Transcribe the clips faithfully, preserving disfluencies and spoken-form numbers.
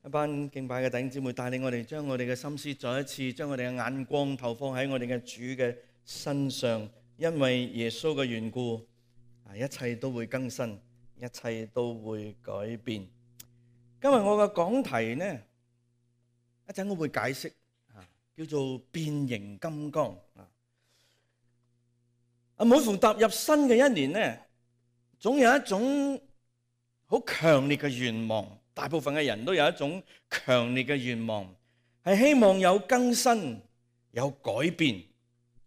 一班敬拜嘅弟兄姊妹帶領我哋，將我哋嘅心思再一次將我哋嘅眼光投放喺我哋嘅主嘅身上，因為耶穌嘅緣故，啊，一切都會更新，一切都會改變。今日我嘅講題呢，一陣我會解釋，啊，叫做變形金剛。啊，每逢踏入新嘅一年呢，總有一種好強烈嘅願望。大部分嘅人都有一種強烈嘅願望，係希望有更新、有改變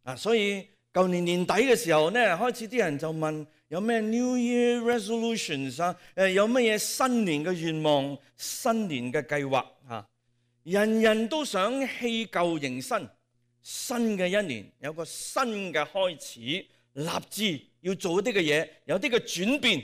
啊！所以舊年年底嘅時候呢，開始啲人就問有咩 New Year Resolutions 啊？誒，有乜嘢新年嘅願望、新年嘅計劃啊？人人都想棄舊迎新，新嘅一年有個新嘅開始，立志要做一啲嘅嘢，有啲嘅轉變。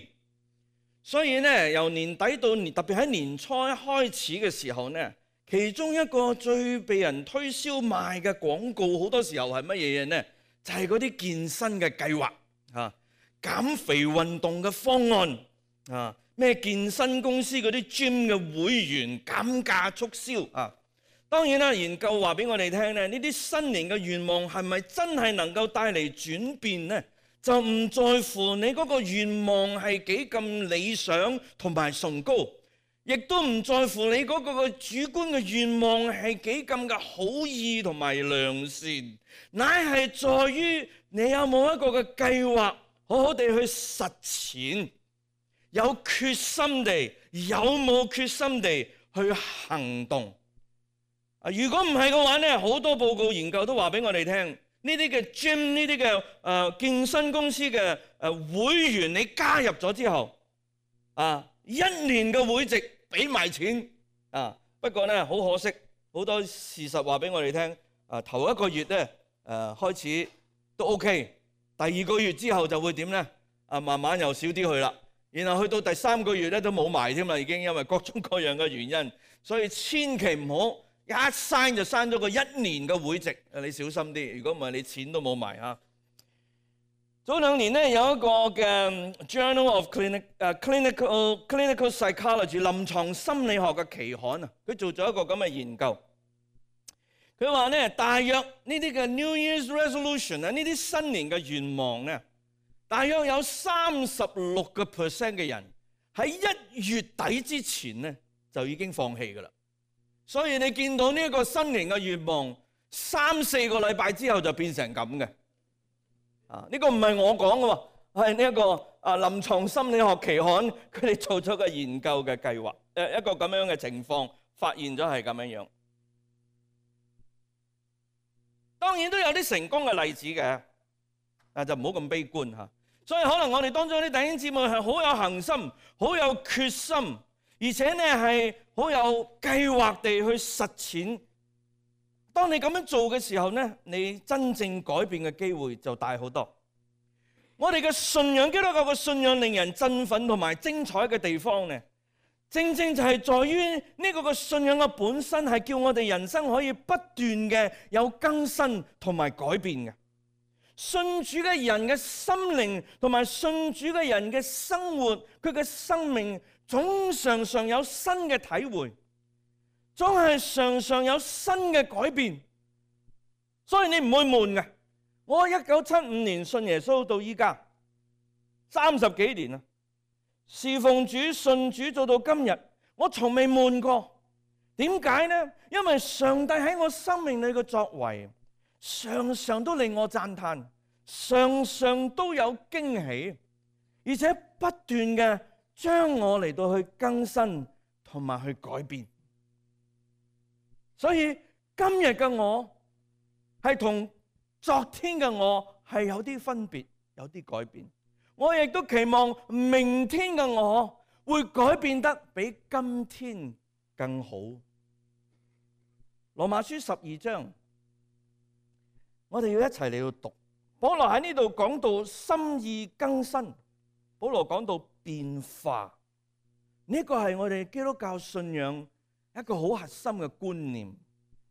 所以呢，由年底到年，特別喺年初一開始嘅時候呢，其中一個最被人推銷賣嘅廣告，好多時候係乜嘢嘢呢？就係嗰啲健身嘅計劃啊，減肥運動嘅方案啊，咩健身公司嗰啲 gym 嘅會員減價促銷啊。當然啦，研究話俾我哋聽呢，呢啲新年嘅願望係咪真係能夠帶嚟轉變呢？就唔在乎你嗰個願望係幾咁理想同埋崇高，亦都唔在乎你嗰個主觀嘅願望係幾咁嘅好意同埋良善，乃係在於你有冇一個嘅計劃，好好地去實踐，有決心地，有冇決心地去行動。啊，如果唔係嘅話呢，好多報告研究都話俾我哋聽。呢啲嘅 gym， 呢啲嘅誒健身公司嘅誒會員，你加入咗之後，啊，一年嘅會籍俾埋錢啊。不過咧，好可惜，好多事實話俾我哋聽。啊，頭一個月咧，誒開始都 OK， 第二個月之後就會點咧？啊，慢慢又少啲去啦。然後去到第三個月咧都冇埋添啦，已經因為各種各樣嘅原因，所以千祈唔好。一刪就刪咗個一年嘅會籍，你小心啲。如果唔係，你錢都冇埋啊！早兩年咧有一個嘅 Journal of Clinic 誒 Clinical Clinical Psychology 臨床心理學嘅期刊啊，佢做咗一個咁嘅研究。佢話咧，大約呢啲嘅 New Year's Resolution 啊，呢啲新年嘅願望咧，大約有三十六個 percent 嘅人喺一月底之前咧就已經放棄㗎啦。所以你見到呢一個新年嘅願望，三四個禮拜之後就變成咁嘅。啊，呢個唔係我講嘅，係呢一個啊臨床心理學期刊佢哋做咗個研究嘅計劃，誒一個咁樣嘅情況，發現咗係咁樣樣。當然都有啲成功嘅例子嘅，啊就唔好咁悲觀嚇。所以可能我哋當中啲弟兄姊妹係好有恆心，好有決心。而且呢係好有計劃地去實踐。當你咁樣做嘅時候呢，你真正改變嘅機會就大好多。我哋嘅信仰，基督教嘅信仰令人振奮同埋精彩嘅地方呢，正正就係在於呢個嘅信仰嘅本身係叫我哋人生可以不斷嘅有更新同埋改變嘅。信主嘅人嘅心靈同埋信主嘅人嘅生活，佢嘅生命總常常有新嘅體會，總係常常有新嘅改變，所以你唔會悶嘅。我一九七五年信耶穌到依家三十幾年啦，侍奉主信主做到今日，我從未悶過。點解呢？因為上帝喺我生命裏嘅作為，常常都令我讚嘆，常常都有驚喜，而且不斷嘅將我嚟到去更新同埋去改變。所以今日嘅我係同昨天嘅我係有啲分別，有啲改變。我亦都期望明天嘅我會改變得比今天更好。羅馬書十二章，我哋要一齊嚟到讀。保羅喺呢度講到心意更新，保羅講到變化，呢個係我哋基督教信仰一個好核心嘅觀念。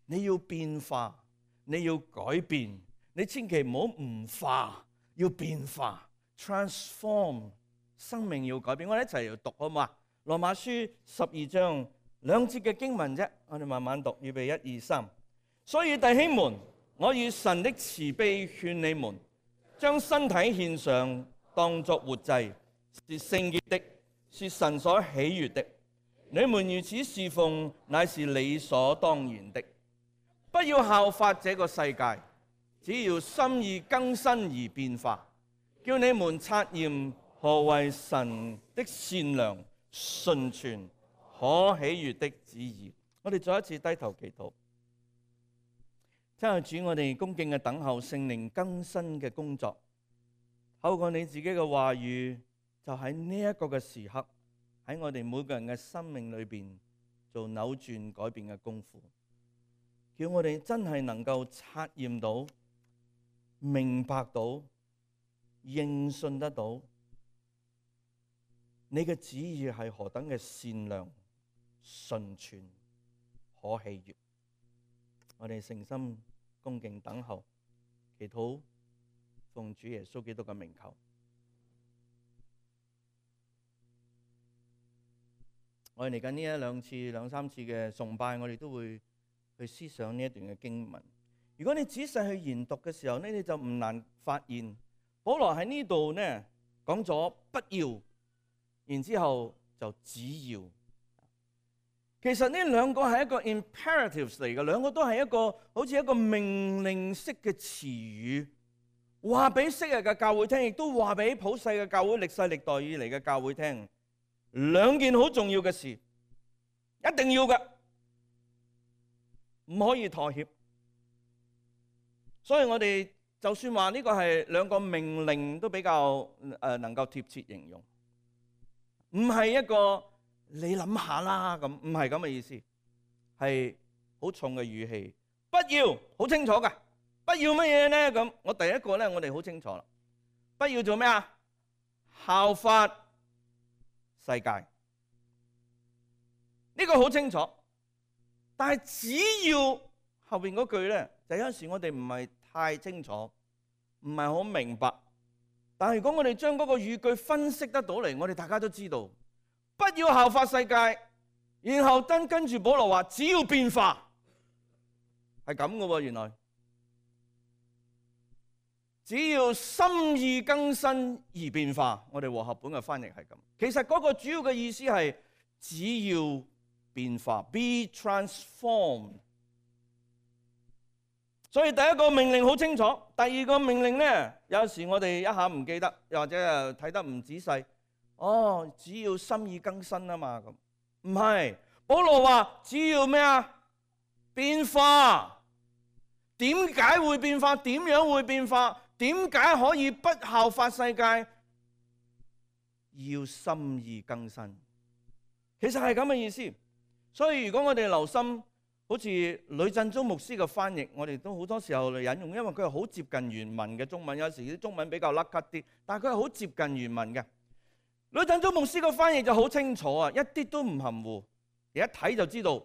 你要變化，你要改變，你千祈唔好唔化，要變化 ，transform， 生命要改變。我哋一齊嚟讀好嘛？羅馬書十二章兩節嘅經文啫，我哋慢慢讀，預備一二三。所以弟兄們，我以神的慈悲勸你們，將身體獻上，當作活祭，是聖潔的，是神所喜悅的。你們如此侍奉，乃是理所當然的。不要效法這個世界，只要心意更新而變化，叫你們察驗何為神的善良、純全、可喜悅的旨意。我哋再一次低頭祈禱。親愛的主，我哋恭敬嘅等候聖靈更新嘅工作，透過你自己嘅話語，就喺呢一個嘅時刻，喺我哋每個人嘅生命裏邊做扭轉改變嘅功夫，叫我哋真係能夠察驗到、明白到、認信得到你嘅旨意係何等嘅善良、純全、可喜悅。我哋誠心恭敬等候，祈禱奉主耶穌基督嘅名求。我哋嚟緊呢一兩次、兩三次嘅崇拜，我哋都會去思想呢一段嘅經文。如果你仔細去研讀嘅時候呢，你就唔難發現，保羅喺呢度呢講咗不要，然之後就只要。其實呢兩個係一個 imperatives 嚟嘅，兩個都係一個好似一個命令式嘅詞語，話俾昔日嘅教會聽，亦都話俾普世嘅教會、歷世歷代以嚟嘅教會聽，兩件好重要嘅事，一定要嘅，唔可以妥協。所以我哋就算話呢個係兩個命令，都比較誒能夠貼切形容，唔係一個你諗下啦咁，唔係咁嘅意思，係好重嘅語氣。不要，好清楚㗎，不要乜嘢呢？咁我第一個咧，我哋好清楚啦。不要做咩啊？效法世界，呢個好清楚。但係只要後邊嗰句咧，就有陣時我哋唔係太清楚，唔係好明白。但係如果我哋將嗰個語句分析得到嚟，我哋大家都知道。不要效法世界，然後跟跟住保羅話，只要變化，係咁嘅喎。原來只要心意更新而變化，我哋和合本嘅翻譯係咁。其實嗰個主要嘅意思係只要變化 ，be transformed。所以第一個命令好清楚，第二個命令呢，有時我哋一下唔記得，又或者睇得唔仔細。哦，只要心意更新啊嘛，咁唔係。保羅話只要咩啊？變化。點解會變化？點樣會變化？點解可以不效法世界？要心意更新。其實係咁嘅意思。所以如果我哋留心，好似呂振中牧師嘅翻譯，我哋都好多時候嚟引用，因為佢係好接近原文嘅中文。有時啲中文比較甩咳啲，但係佢係好接近原文嘅。呂振中牧師個翻譯就好清楚啊，一啲都唔含糊，你一睇就知道，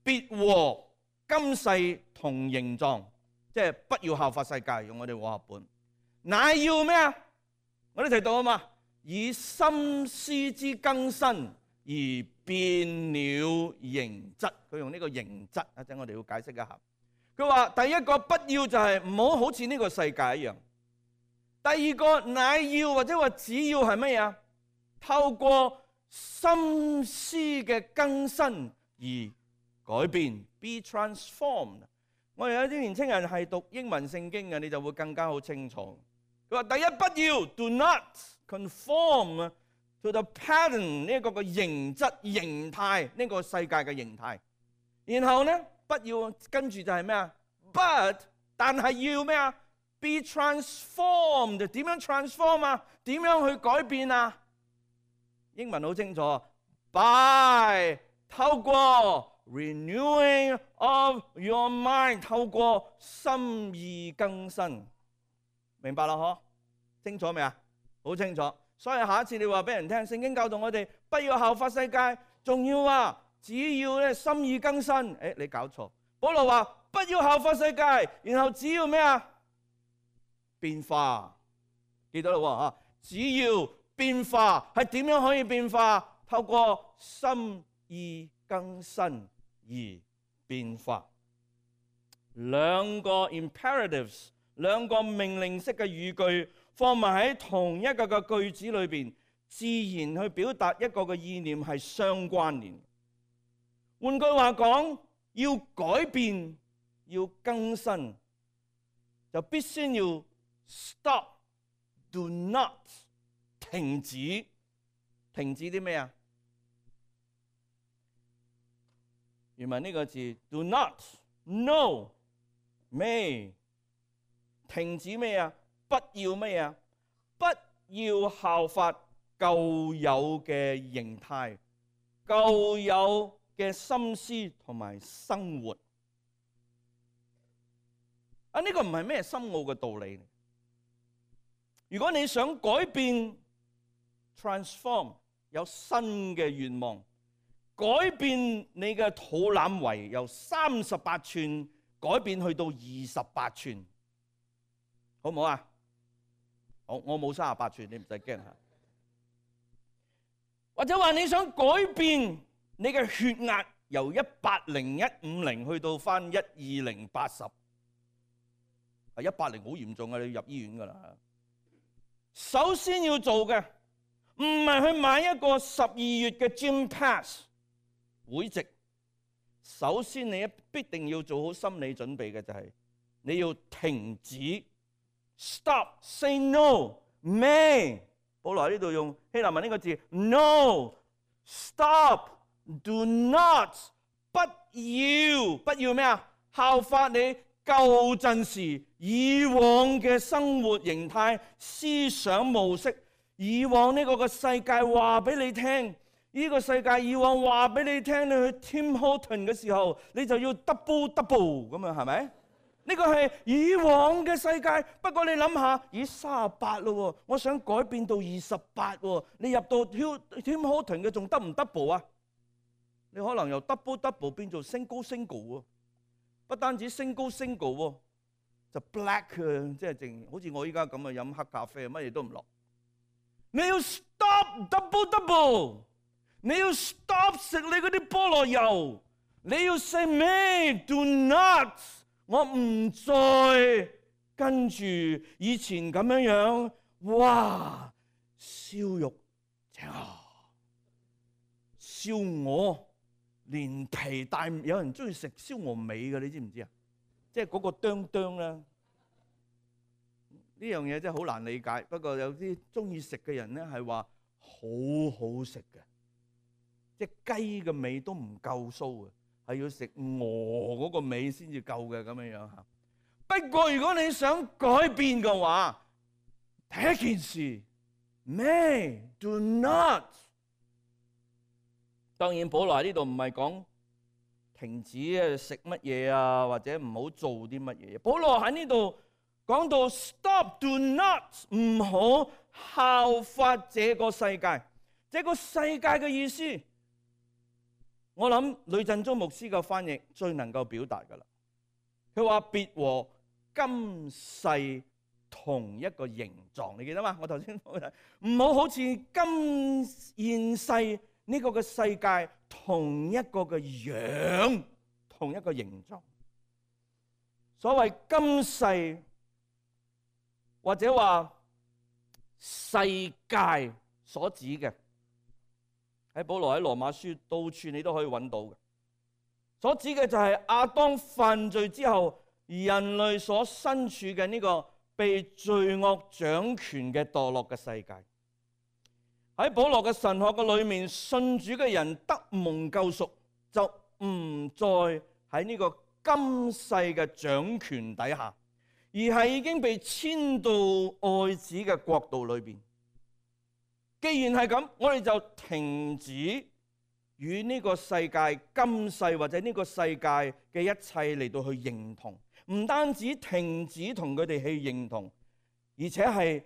別和今世同形狀，即係不要效法世界，用我哋和合本。乃要咩啊？我哋提到啊嘛，以心思之更新而變了形質。佢用呢個形質，一陣我哋要解釋一下。佢話第一個不要就係唔好好似呢個世界一樣。第二個乃要或者話只要係乜嘢啊？透過心思嘅更新而改變 ，be transformed。我哋有啲年青人係讀英文聖經嘅，你就會更加好清楚。佢話：第一，不要 do not conform to the pattern 呢一個嘅形質形態，呢個世界嘅形態。然後咧，不要跟住就係咩啊 ？But 但係要咩啊 ？be transformed。點樣 transform 啊？點樣去改變啊？英文好清楚 ，by 透過 renewing of your mind， 透過心意更新，明白啦？嗬，清楚未啊？好清楚。所以下一次你話俾人聽，聖經教導我哋不要效法世界，仲要啊，只要咧心意更新。誒，你搞錯。保羅話不要效法世界，然後只要咩啊？變化，記得啦喎嚇，只要變化係點樣可以變化？透過心意更新而變化。兩個 imperatives， 兩個命令式嘅語句放埋喺同一個嘅句子裏邊，自然去表達一個嘅意念係相關聯。換句話講，要改變，要更新，就必須要 stop，do not 停止，停止啲咩啊？原文呢個字 do not，no，may， 停止咩啊？不要咩啊？不要效法舊有嘅形態、舊有嘅心思同埋生活。啊，呢個唔係咩深奧嘅道理。如果你想改變 transform， 有新嘅願望，改變你嘅肚腩圍由三十八寸改變去到二十八寸，好唔好啊？好，我冇三十八寸，你唔使驚吓。或者話你想改變你嘅血壓由一百零一五零去到翻一二零八十，係一百零好嚴重啊！你要入醫院噶啦。首先要做嘅唔係去買一個十二月嘅 Gym Pass 會籍，首先你必定要做好心理準備嘅就係你要停止 ，stop say no，may。保羅喺呢度用希臘文呢個字 no，stop，do not， 不要不要咩啊？效法你舊陣時以往嘅生活形態、思想模式，以往呢個嘅世界話俾你聽，呢個世界以往話俾你聽，你去 Tim Horton 嘅時候，你就要 double double 咁樣，係咪？呢個係以往嘅世界，不過你諗下，咦三十八咯，我想改變到二十八喎，你入到 Tim Horton 嘅仲得唔 double 啊？你可能由 double double 變做 single single 喎，不單止 single single 喎，就 black 啊，即係淨好似我依家咁啊，飲黑咖啡，乜嘢都唔落。你要 stop double double， 你要 stop 食你嗰啲菠蘿油，你要 say me do not。我唔再跟住以前咁樣樣，哇！燒肉正啊，燒鵝連皮帶，有人中意食燒鵝尾嘅，你知唔知啊？即係嗰個釘釘啦。呢樣嘢真係好難理解。不過有啲中意食嘅人咧係話好好食嘅，即係雞嘅尾都唔夠酥嘅。係要食鵝嗰個尾先至夠嘅咁樣樣嚇。不過如果你想改變嘅話，第一件事 ，may do not。當然，保羅喺呢度唔係講停止啊食乜嘢啊，或者唔好做啲乜嘢。保羅喺呢度講到 stop do not， 唔好效法這個世界。這個世界嘅意思。我諗呂振中牧師嘅翻譯最能夠表達噶啦。佢話別和今世同一個形狀，你記得嘛？我頭先講唔好好似今現世呢個嘅世界同一個嘅樣，同一個形狀。所謂今世或者話世界所指嘅。喺保羅喺羅馬書到處你都可以揾到嘅，所指嘅就係亞當犯罪之後，人類所身處嘅呢個被罪惡掌權嘅墮落嘅世界。喺保羅嘅神學嘅裏面，信主嘅人得蒙救贖，就唔再喺呢個今世嘅掌權底下，而係已經被遷到愛子嘅國度裏邊。既然係咁，我哋就停止與呢個世界今世或者呢個世界嘅一切嚟到去認同，唔單止停止同佢哋去認同，而且係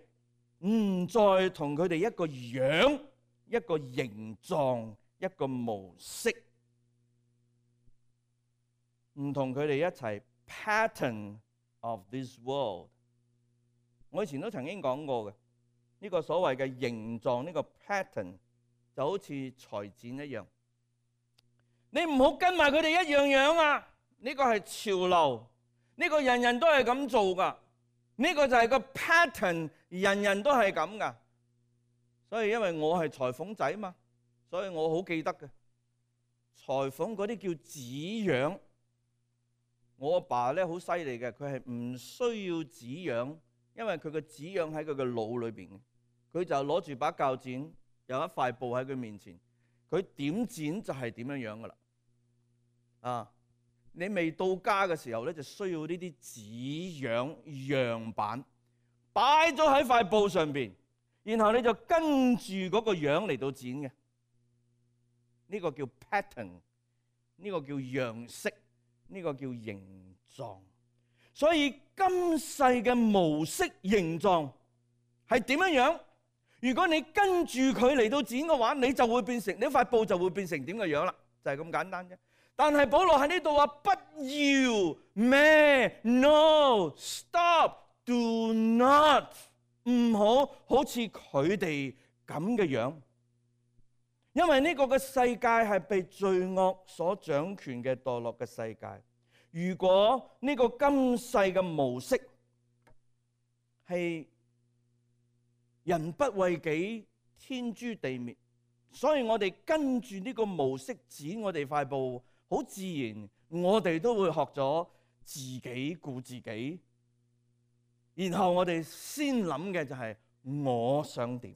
唔再同佢哋一個樣、一個形狀、一個模式，唔同佢哋一齊 pattern of this world。我以前都曾經講過嘅。呢個所謂嘅形狀，呢個 pattern 就好似裁剪一樣。你唔好跟埋佢哋一樣樣啊！呢個係潮流，呢個人人都係咁做噶，呢個就係個 pattern，人人都係咁噶。所以因為我係裁縫仔嘛，所以我好記得嘅。裁縫嗰啲叫紙樣，我阿爸咧好犀利嘅，佢係唔需要紙樣，因為佢個紙樣喺佢嘅腦裏邊，佢就攞住把鉸剪，有一塊布喺佢面前，佢點剪就係點樣樣噶啦。啊，你未到家嘅時候咧，就需要呢啲紙樣樣板擺咗喺塊布上邊，然後你就跟住嗰個樣嚟到剪嘅。呢個叫 pattern， 呢個叫樣式，呢個叫形狀。所以今世嘅模式形狀係點樣樣？如果你跟住佢嚟到剪嘅話，你就會變成，你塊布就會變成點嘅樣啦，就係咁簡單啫。但係保羅喺呢度話不要咩 ？No， stop，do not， 唔好好似佢哋咁嘅樣。因為呢個嘅世界係被罪惡所掌權嘅墮落嘅世界。如果呢個今世嘅模式係人不為己，天誅地滅，所以我哋跟住呢個模式剪我哋塊布，好自然我哋都會學咗自己顧自己，然後我哋先諗嘅就係我想點。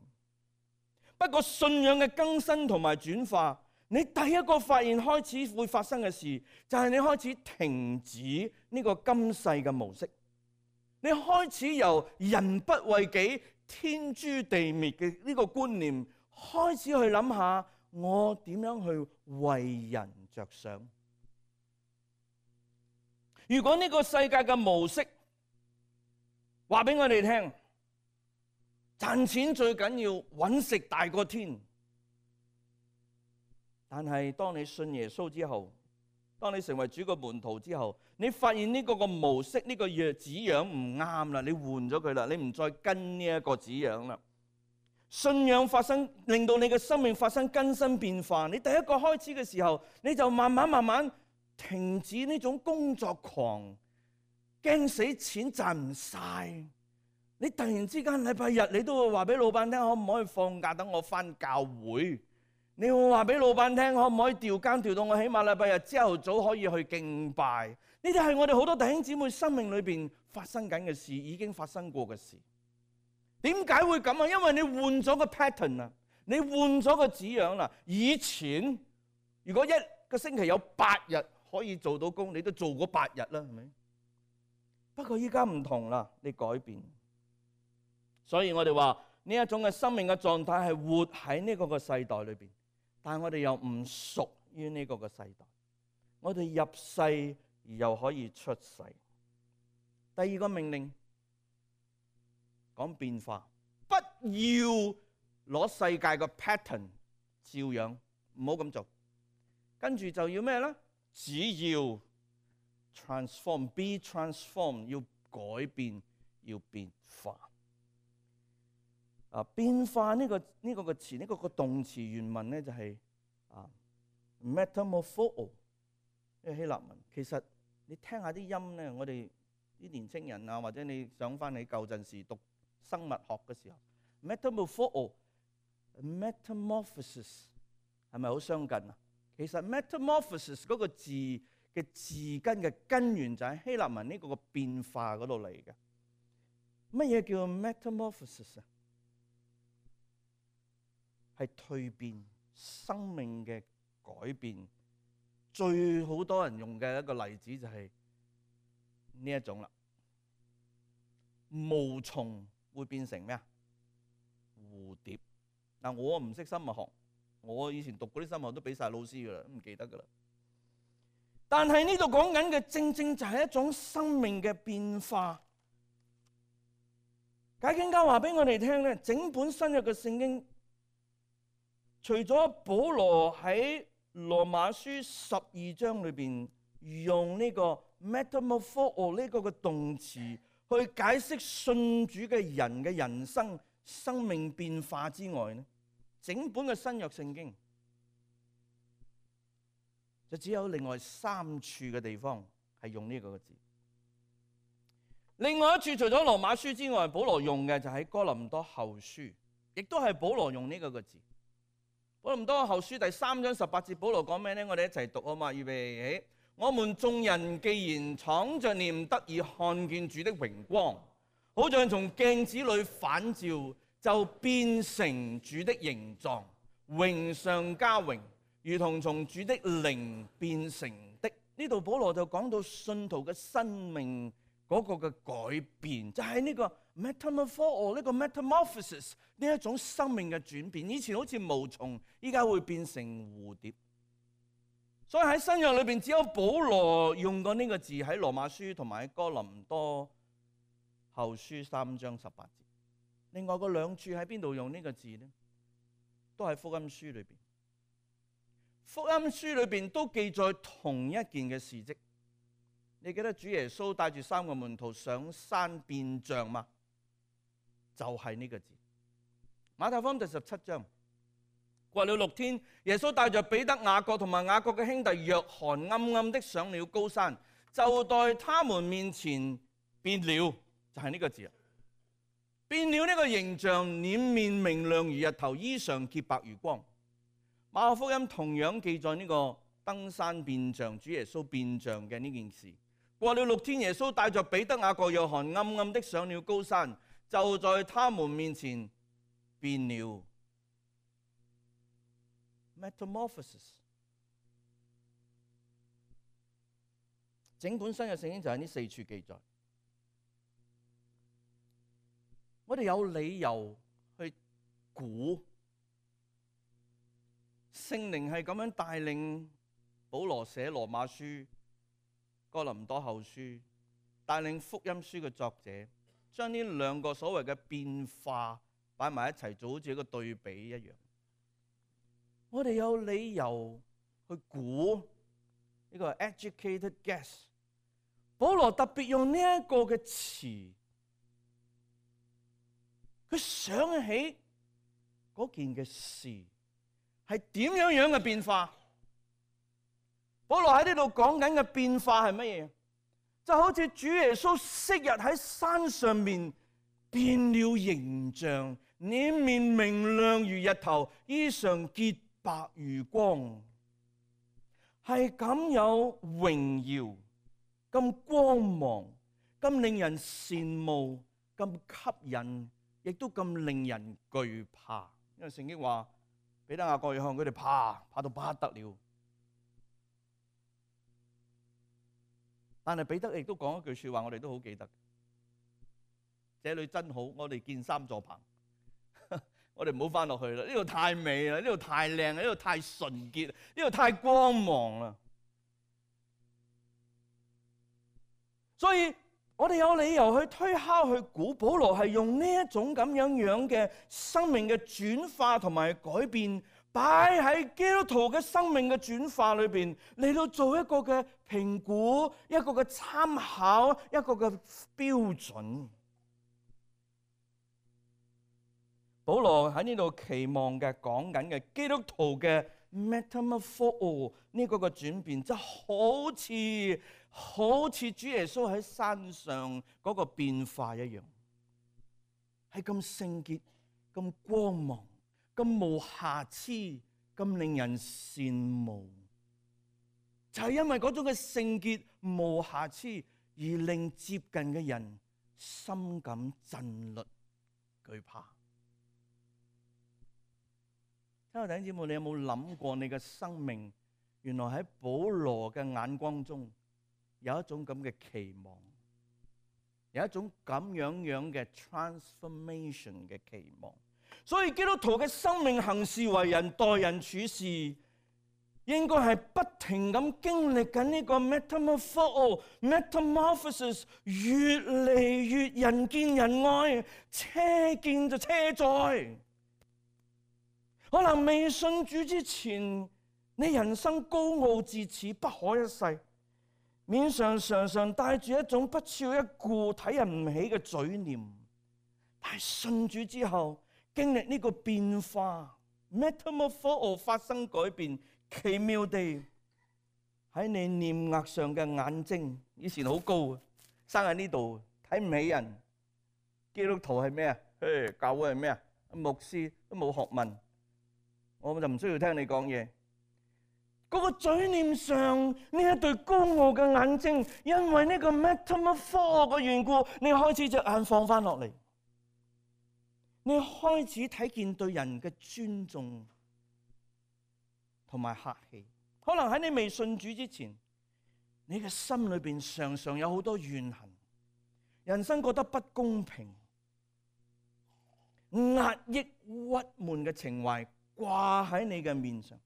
不過信仰嘅更新同埋轉化，你第一個發現開始會發生嘅事，就係你開始停止呢個今世嘅模式，你開始由人不為己，天誅地滅嘅呢個觀念，開始去諗下我點樣去為人着想。如果呢個世界嘅模式話俾我哋聽，賺錢最緊要，揾食大過天。但係當你信耶穌之後，當你成為主嘅門徒之後，你發現呢個個模式，呢個樣紙樣唔啱啦，你換咗佢啦，你唔再跟呢一個紙樣啦。信仰發生，令到你嘅生命發生更新變化。你第一個開始嘅時候，你就慢慢慢慢停止呢種工作狂，驚死錢賺唔晒。你突然之間禮拜日，你都會話俾老闆聽，可唔可以放假等我返教會？你會話俾老闆聽，可唔可以調更調到我起碼禮拜日朝頭早可以去敬拜？呢啲係我哋好多弟兄姊妹生命裏邊發生緊嘅事，已經發生過嘅事。點解會咁啊？因為你換咗個 pattern 啊，你換咗個紙樣啦。以前如果一個星期有八日可以做到工，你都做嗰八日啦，係咪？不過依家唔同啦，你改變。所以我哋話呢一種嘅生命嘅狀態係活喺呢個個世代裏邊，但係我哋又唔屬於呢個個世代。我哋入世而又可以出世。第二個命令講變化，不要攞世界個 pattern 照樣，唔好咁做。跟住就要咩咧？只要 transform，be transform， 要改變，要變化。啊，變化呢、這個呢、這個個詞，呢、這個個動詞原文咧就係、是、啊 metamorpho， 呢個希臘文。其實你聽下啲音咧，我哋啲年青人啊，或者你想翻起舊陣時讀生物學嘅時候 ，metamorpho、metamorphosis 係咪好相近啊？其實 metamorphosis 嗰個字嘅字根嘅根源就喺希臘文呢個個變化嗰度嚟嘅。乜嘢叫 metamorphosis 啊？係蛻變，生命嘅改變。最好多人用嘅一個例子就係呢一種啦。毛蟲會變成咩啊？蝴蝶。嗱，我唔識生物學，我以前讀嗰啲生物學都俾晒老師噶啦，都唔記得噶啦。但係呢度講緊嘅正正就係一種生命嘅變化。解經家話俾我哋聽咧，整本新約嘅聖經，除咗保羅喺羅馬書十二章裏邊用呢個 metamorpho 呢個嘅動詞去解釋信主嘅人嘅人生生命變化之外咧，整本嘅新約聖經就只有另外三處嘅地方係用呢個字。另外一處除咗羅馬書之外，保羅用嘅就喺哥林多後書，亦都係保羅用呢個個字。哥林多後書第三章十八節，保羅講咩呢？我哋一齊讀啊嘛，預備起。我們眾人既然敞着臉得以看見主的榮光，好像從鏡子裏反照，就變成主的形狀，榮上加榮，如同從主的靈變成的。呢度保羅就講到信徒嘅生命嗰個嘅改變，就係呢個 metamorpho 呢個 metamorphosis 呢一種生命嘅轉變。以前好似毛蟲，依家會變成蝴蝶。所以喺新約裏邊，只有保羅用過呢個字，喺羅馬書同埋喺哥林多後書三章十八節。另外嗰兩處喺邊度用呢個字呢？都係福音書裏邊。福音書裏邊都記載同一件嘅事蹟。你記得主耶穌帶住三個門徒上山變像嗎？就係呢個字。馬太福音第十七章，過了六天，耶穌帶着彼得、雅各同埋雅各嘅兄弟約翰，暗暗的上了高山，就在他們面前變了，就係呢個字啊！變了呢個形象，臉面明亮如日頭，衣裳潔白如光。馬可福音同樣記載呢個登山變像，主耶穌變像嘅呢件事。過了六天，耶穌帶着彼得、雅各、約翰，暗暗的上了高山，就在他們面前變了。Metamorphosis， 整本新約聖經就喺呢四處記載。我哋有理由去估聖靈係咁樣帶領保羅寫羅馬書、哥林多後書，帶領福音書嘅作者將呢兩個所謂嘅變化擺埋一齊，就好似一個對比一樣。我哋有理由去估呢個 educated guess。保羅特別用呢一個嘅詞，佢想起嗰件嘅事係點樣樣嘅變化。保羅喺呢度講緊嘅變化係乜嘢？就好似主耶穌昔日喺山上面變了形象，臉面明亮如日頭，衣裳潔白如光，係咁有榮耀，咁光芒，咁令人羨慕，咁吸引，亦都咁令人懼怕。因為聖經話彼得、雅各、約翰佢哋怕，怕到不得了。但係彼得亦都講一句說話，我哋都好記得：這裏真好，我哋建三座棚。我哋唔好翻落去啦，呢度太美啦，呢度太靚啦，呢度太純潔，呢度太光芒啦。所以我哋有理由去推敲、去估，保羅係用呢一種咁樣樣嘅生命嘅轉化同埋改變，擺喺基督徒嘅生命嘅轉化裏邊，嚟到做一個嘅評估、一個嘅參考、一個嘅標準。保羅喺呢度期望嘅講緊嘅基督徒嘅 metamorpho 呢個嘅轉變，就好似好似主耶穌喺山上嗰個變化一樣，係咁聖潔、咁光芒、咁無瑕疵、咁令人羨慕。就係因為嗰種嘅聖潔、無瑕疵，而令接近嘅人心感震慄、懼怕。親愛的弟兄姊妹，你有冇諗過你嘅生命原來喺保羅嘅眼光中有一種咁嘅期望，有一種咁樣樣嘅 transformation 嘅期望。所以基督徒嘅生命行事為人、待人處事，應該係不停咁經歷緊呢個 metamorpho metamorphosis， 越嚟越人見人愛，車見就車載。可能未信主之前，你人生高傲自恃，不可一世，面上常常帶住一種不屑一顧、睇人唔起嘅嘴臉。但係信主之後，經歷呢個變化 metamorpho 發生改變，奇妙地喺你臉額上嘅眼睛，以前好高啊，生喺呢度，睇唔起人。基督徒係咩啊？誒，教會係咩啊？牧師都冇學問，我就唔需要聽你講嘢。嗰個嘴臉上呢一對高傲嘅眼睛，因為呢個 metamorpho 嘅緣故，你開始隻眼放翻落嚟，你開始睇見對人嘅尊重同埋客氣。可能喺你未信主之前，你嘅心裏邊常常有好多怨恨，人生覺得不公平，壓抑鬱悶嘅情懷掛喺你嘅面上。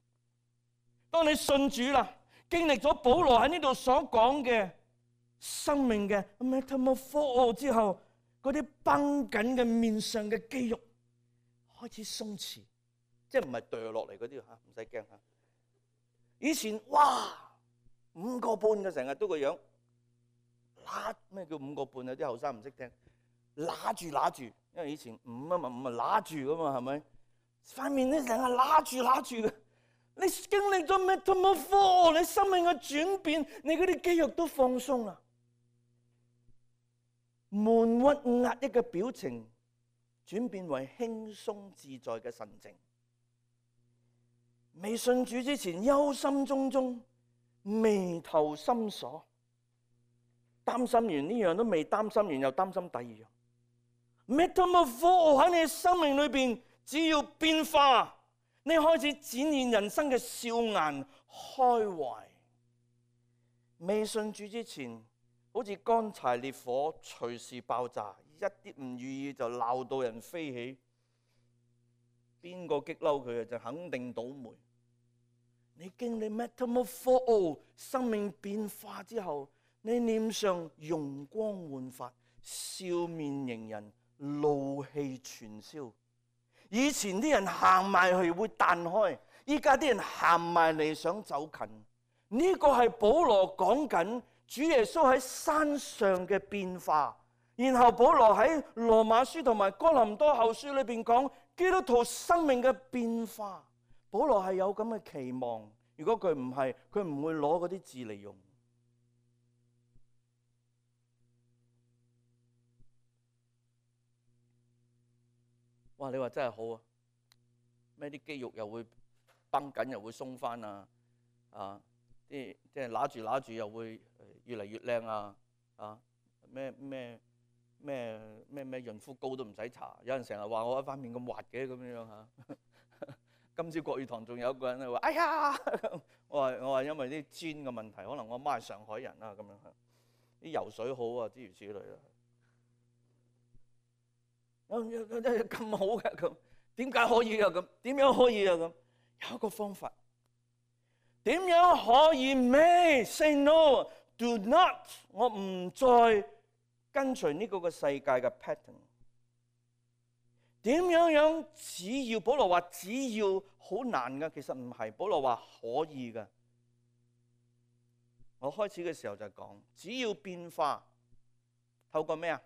當你信主啦，經歷咗保羅喺呢度所講嘅生命嘅 metamorpho 之後，嗰啲繃緊嘅面上嘅肌肉開始鬆弛，即係唔係掉落嚟嗰啲吓，唔使驚吓。以前哇五個半嘅成日都個樣，揦咩叫五個半啊？啲後生唔識聽，揦住揦住，因為以前五啊嘛五啊揦住噶嘛，係咪？塊面咧成日揦住揦住嘅。你經歷咗 metamorpho， 你生命嘅轉變，你嗰啲肌肉都放鬆啦，悶鬱壓抑嘅表情轉變為輕鬆自在嘅神情。未信主之前憂心忡忡，眉頭深鎖，擔心完呢樣都未擔心完，又擔心第二樣。metamorpho 喺你生命裏邊，只要變化，你開始展現人生嘅笑顏開懷。未信主之前，好似乾柴烈火，隨時爆炸，一啲唔如意就鬧到人飛起。邊個激嬲佢就肯定倒霉。你經歷 metamorpho 生命變化之後，你臉上容光煥發，笑面迎人，怒氣全消。以前啲人行埋去會彈開，依家啲人行埋嚟想走近。呢個係保羅講緊主耶穌喺山上嘅變化。然後保羅喺羅馬書同埋哥林多後書裏邊講基督徒生命嘅變化。保羅係有咁嘅期望。如果佢唔係，佢唔會攞嗰啲字嚟用。哇！你話真係好啊！咩啲肌肉又會繃緊，又會鬆翻啊！啊，啲即係揦住揦住又會越嚟越靚啊！啊，咩咩咩咩咩潤膚膏都唔使搽。有人成日話我一塊面咁滑嘅咁樣嚇。今朝國語堂仲有一個人話：哎呀！我話我話因為啲氈嘅問題，可能我媽係上海人啦咁樣嚇。啲游水好啊，諸如此類啦。咁好嘅咁，點解可以啊咁？點樣可以啊咁？有一個方法，點樣可以咩 ？Say no, do not。我唔再跟隨呢個個世界嘅 pattern。點樣樣？只要保羅話只要好難噶，其實唔係。保羅話可以噶。我開始嘅時候就講，只要變化，透過咩啊？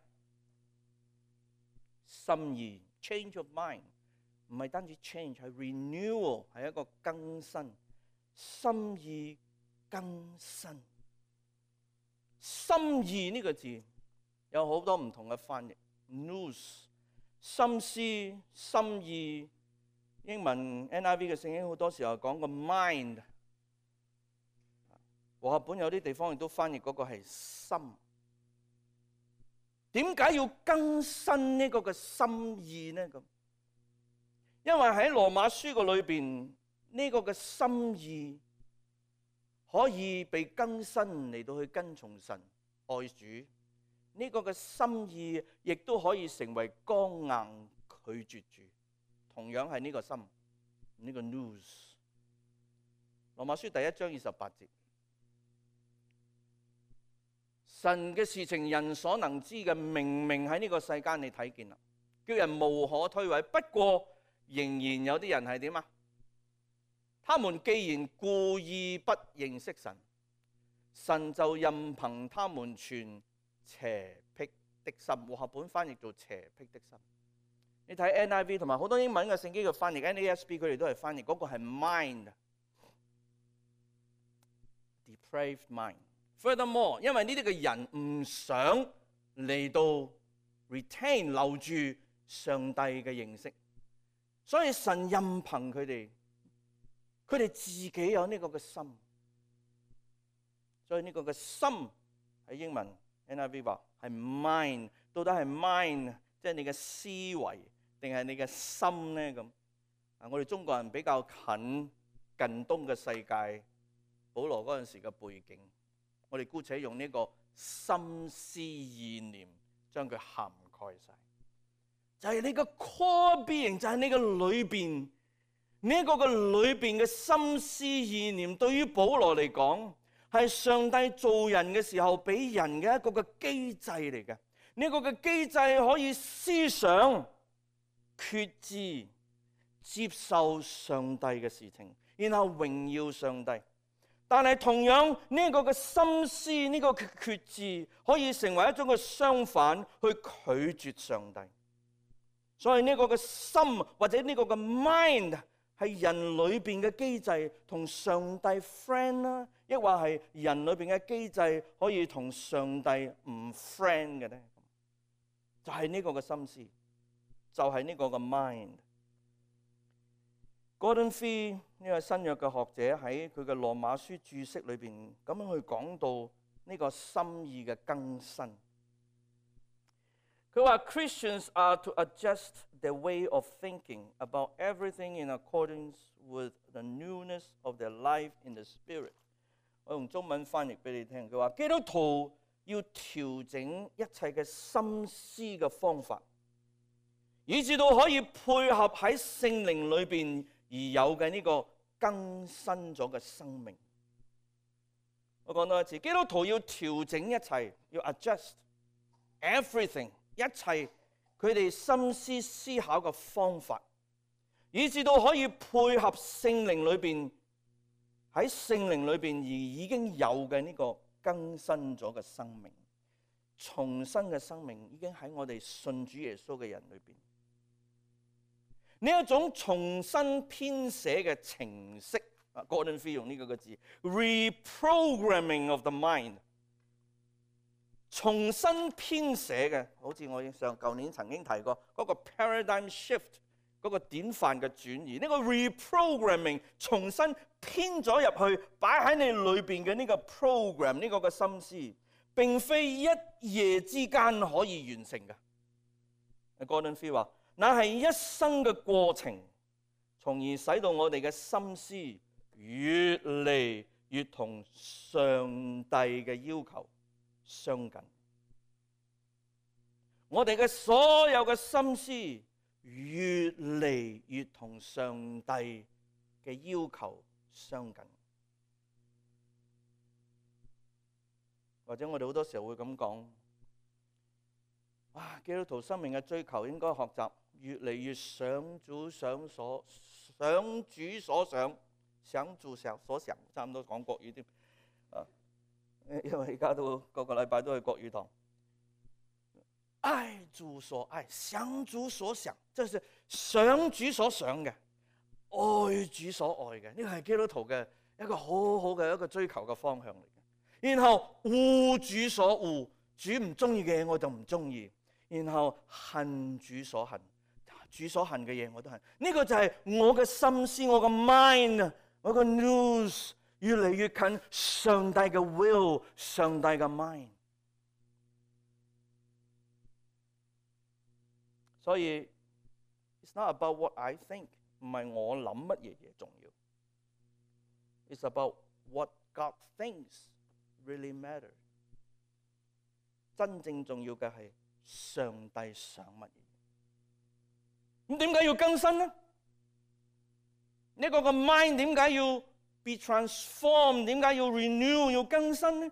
心意 change of mind， 唔係單止 change， 係 renewal， 係一個更新。心意更新，心意呢個字有好多唔同嘅翻譯。nous 心思、心意，英文 N I V 嘅聖經好多時候講個 mind， 和合本有啲地方亦都翻譯嗰個係心。點解要更新呢個嘅心意呢？咁，因為喺羅馬書個裏邊呢個嘅心意可以被更新嚟到去跟從神愛主。呢個嘅心意亦都可以成為剛硬拒絕主，同樣係呢個心，呢個 nous。羅馬書第一章二十八節，神嘅事情人所能知嘅，明明喺呢個世間你睇見啦，叫人無可推諉。不過仍然有啲人係點啊？他們既然故意不認識神，神就任憑他們存邪僻的心。和合本翻譯做邪僻的心。你睇 N I V 同埋好多英文嘅聖經嘅翻譯 N A S B， 佢哋都係翻譯嗰個係 mind，depraved depraved mind. Furthermore， 因為呢啲嘅人唔想嚟到 retain 留住上帝嘅認識，所以神任憑佢哋，佢哋自己有呢個嘅心。所以呢個嘅心喺英文 N I V 話係 mind， 到底係 mind 即係你嘅思維定係你嘅心咧？咁啊，我哋中國人比較近近東嘅世界，保羅嗰陣時嘅背景，我哋姑且用呢個心思意念將佢涵蓋晒，就係你個 core being， 就係你個裏邊呢一個嘅裏邊嘅心思意念，對於保羅嚟講係上帝造人嘅時候俾人嘅一個嘅機制嚟嘅。呢個嘅機制可以思想、決志、接受上帝嘅事情，然後榮耀上帝。但係同樣呢個嘅心思，呢個決志可以成為一種嘅相反，去拒絕上帝。所以呢個嘅心或者呢個嘅 mind 係人裏邊嘅機制，同上帝 friend 啦，抑或係人裏邊嘅機制可以同上帝唔 friend 嘅咧？就係呢個嘅心思，就係呢個嘅 mind。Gordon Fee 呢個新約嘅學者喺佢嘅羅馬書注釋裏邊咁樣去講到呢個心意嘅更新。佢話 Christians are to adjust their way of thinking about everything in accordance with the newness of their life in the Spirit。我用中文翻譯俾你聽，佢話基督徒要調整一切嘅心思嘅方法，以至到可以配合喺聖靈裏邊而有嘅呢個更新咗嘅生命。我講多一次，基督徒要調整一切，要 adjust everything， 一切佢哋心思思考嘅方法，以至到可以配合聖靈裏邊喺聖靈裏邊而已經有嘅呢個更新咗嘅生命，重生嘅生命已經喺我哋信主耶穌嘅人裏邊。呢一種重新編寫嘅程式，啊 ，Gordon Fee 用呢個個字 ，reprogramming of the mind， 重新編寫嘅，好似我上舊年曾經提過嗰個 paradigm shift 嗰個典範嘅轉移，呢個 reprogramming 重新編咗入去，擺喺你裏邊嘅呢個 program， 呢個嘅心思，並非一夜之間可以完成嘅。Gordon Fee 話，那係一生嘅過程，從而使到我哋嘅心思越嚟越同上帝嘅要求相近。我哋嘅所有嘅心思越嚟越同上帝嘅要求相近。或者我哋好多時候會咁講，哇！基督徒生命嘅追求應該學習越嚟越想主想所，想主所想，想主想所想，差唔多講國語添。啊，因為而家都個個禮拜都去國語堂。愛主所愛，想主所想，即係想主所想嘅，愛主所愛嘅，呢個係基督徒嘅一個好好嘅一個追求嘅方向嚟嘅。然後惡主所惡，主唔中意嘅嘢我就唔中意。然後恨主所恨，主所恨嘅嘢我都恨。呢個就係我嘅心思，我嘅 mind， 我嘅 news 越嚟越近上帝嘅 will， 上帝嘅 mind。所以 it's not about what I think， 唔係我諗乜嘢嘢重要。It's about what God thinks really matter。真正重要嘅係上帝想乜嘢？咁點解要更新呢？呢個個 mind 點解要 be transformed？ 點解要 renew？ 要更新呢？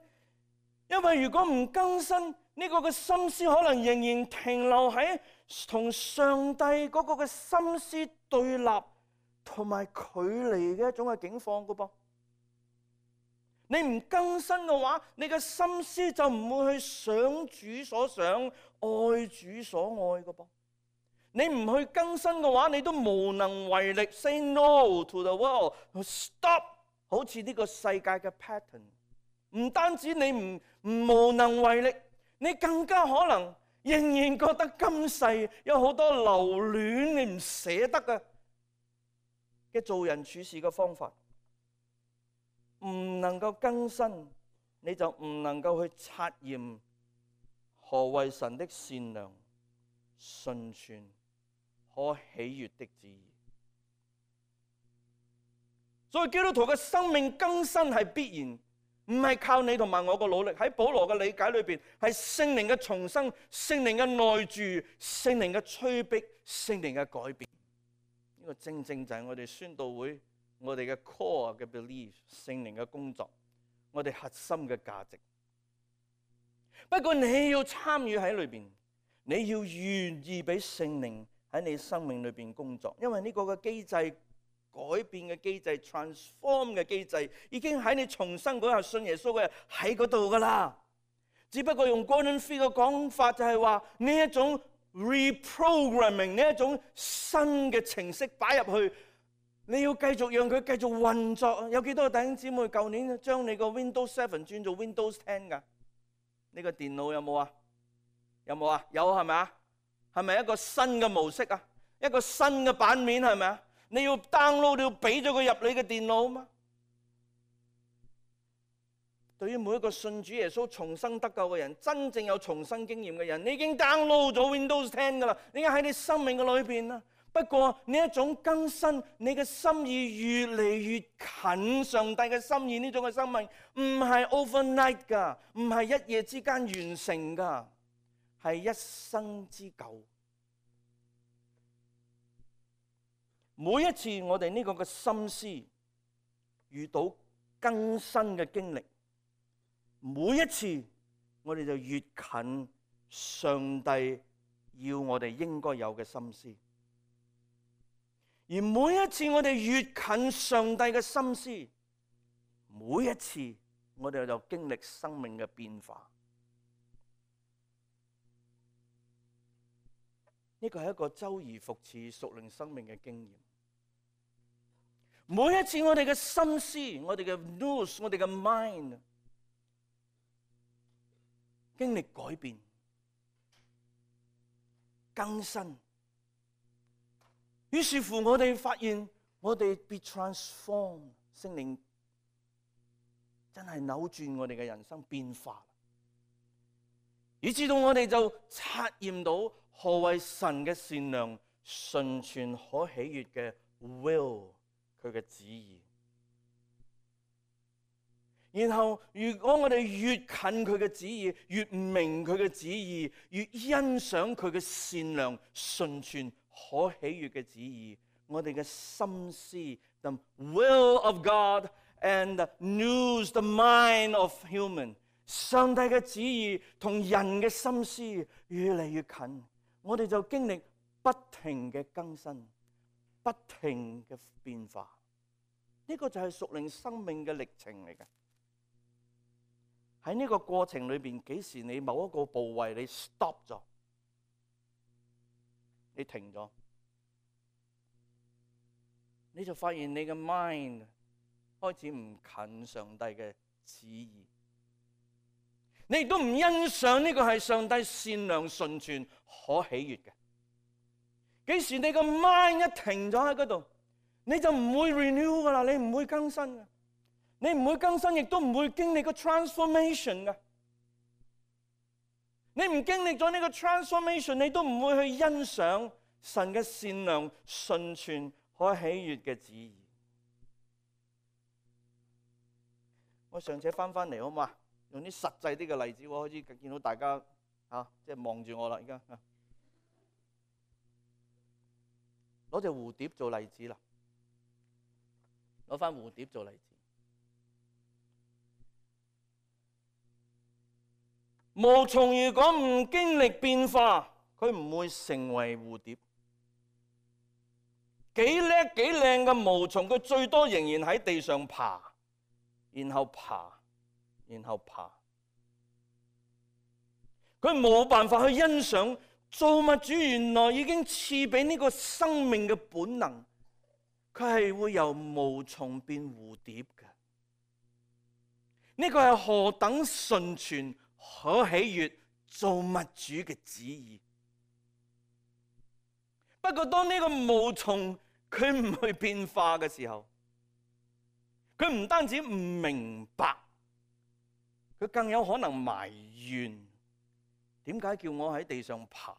因為如果唔更新，呢個嘅心思可能仍然停留喺同上帝嗰個嘅心思對立同埋距離嘅一種嘅境況噶噃。你唔更新嘅話，你嘅心思就唔會去想主所想，愛主所愛嘅噃。你唔去更新嘅話，你都無能為力。Say no to the world， stop， 好似呢個世界嘅 pattern，唔單止你唔唔無能為力，你更加可能仍然覺得今世有好多留戀你唔捨得嘅嘅做人處事嘅方法，唔能夠更新，你就唔能夠去察驗何謂神的善良、純全、可喜悅的旨意。所以基督徒嘅生命更新係必然，唔係靠你同埋我嘅努力。喺保羅嘅理解裏邊，係聖靈嘅重生、聖靈嘅內住、聖靈嘅催逼、聖靈嘅改變。呢個正正就係我哋宣道會我哋嘅 core 嘅 belief， 聖靈嘅工作，我哋核心嘅價值。不過你要參與喺裏邊，你要願意俾聖靈喺你生命裏邊工作，因為呢個嘅機制。改變嘅機制 transform 嘅機制已經喺你重生嗰日信耶穌嘅人喺嗰度噶啦，只不過用 Gordon Fee 嘅講法就係話呢一種 reprogramming， 呢一種新嘅程式擺入去，你要繼續讓佢繼續運作。有幾多個弟兄姊妹舊年將你個 Windows seven 轉做 Windows ten 噶？呢個電腦有冇啊？有冇啊？有係咪啊？係咪一個新嘅模式啊？一個新嘅版面係咪啊？你要 download， 你要俾咗佢入你嘅電腦嘛？對於每一個信主耶穌重生得救嘅人，真正有重生經驗嘅人，你已經 download 咗 Windows ten 噶啦，你已經喺你生命嘅裏邊啦。不過呢一種更新，你嘅心意越嚟越近上帝嘅心意，呢種嘅生命唔係 overnight 噶，唔係一夜之間完成噶，係一生之久。每一次我哋呢個嘅心思遇到更新嘅經歷，每一次我哋就越近上帝要我哋應該有嘅心思，而每一次我哋越近上帝嘅心思，每一次我哋就經歷生命嘅變化。呢個係一個周而復始屬靈生命嘅經驗。每一次我哋嘅心思，我哋嘅 news， 我哋嘅 mind 經歷改變、更新，於是乎我哋發現我哋 be transformed， 聖靈真係扭轉我哋嘅人生變化，以至到我哋就察驗到何謂神嘅善良、純全、可喜悅嘅 will。佢嘅旨意，然後如果我哋越近佢嘅旨意，越明佢嘅旨意，越欣賞佢嘅善良、純全、可喜悅嘅旨意，我哋嘅心思 the will of God and the news the mind of human， 上帝嘅旨意同人嘅心思越嚟越近，我哋就經歷不停嘅更新，不停嘅變化。呢個就係屬靈生命嘅歷程嚟嘅。喺呢個過程裏邊，幾時你某一個部位你 stop 咗，你停咗，你就發現你嘅 mind 開始唔近上帝嘅旨意，你亦都唔欣賞呢個係上帝善良、純全、可喜悅嘅。幾時你個 mind 一停咗喺嗰度，你就唔會 renew 噶啦，你唔會更新嘅，你唔會更新，亦都唔會經歷個 transformation 嘅。你唔經歷咗呢個 transformation， 你都唔會去欣賞神嘅善良、純全、可喜悅嘅旨意。我上次翻翻嚟好嘛？用啲實際啲嘅例子，我開始見到大家啊，即係望住我啦，而家攞隻蝴蝶做例子啦。攞翻蝴蝶做例子，毛蟲如果唔經歷變化，佢唔會成為蝴蝶。幾叻幾靚嘅毛蟲，佢最多仍然喺地上爬，然後爬，然後爬。佢冇辦法去欣賞造物主原來已經賜俾呢個生命嘅本能。佢係會由毛蟲變蝴蝶嘅，呢個係何等純全可喜悅造物主嘅旨意。不過當呢個毛蟲佢唔去變化嘅時候，佢唔單止唔明白，佢更有可能埋怨，點解叫我喺地上爬？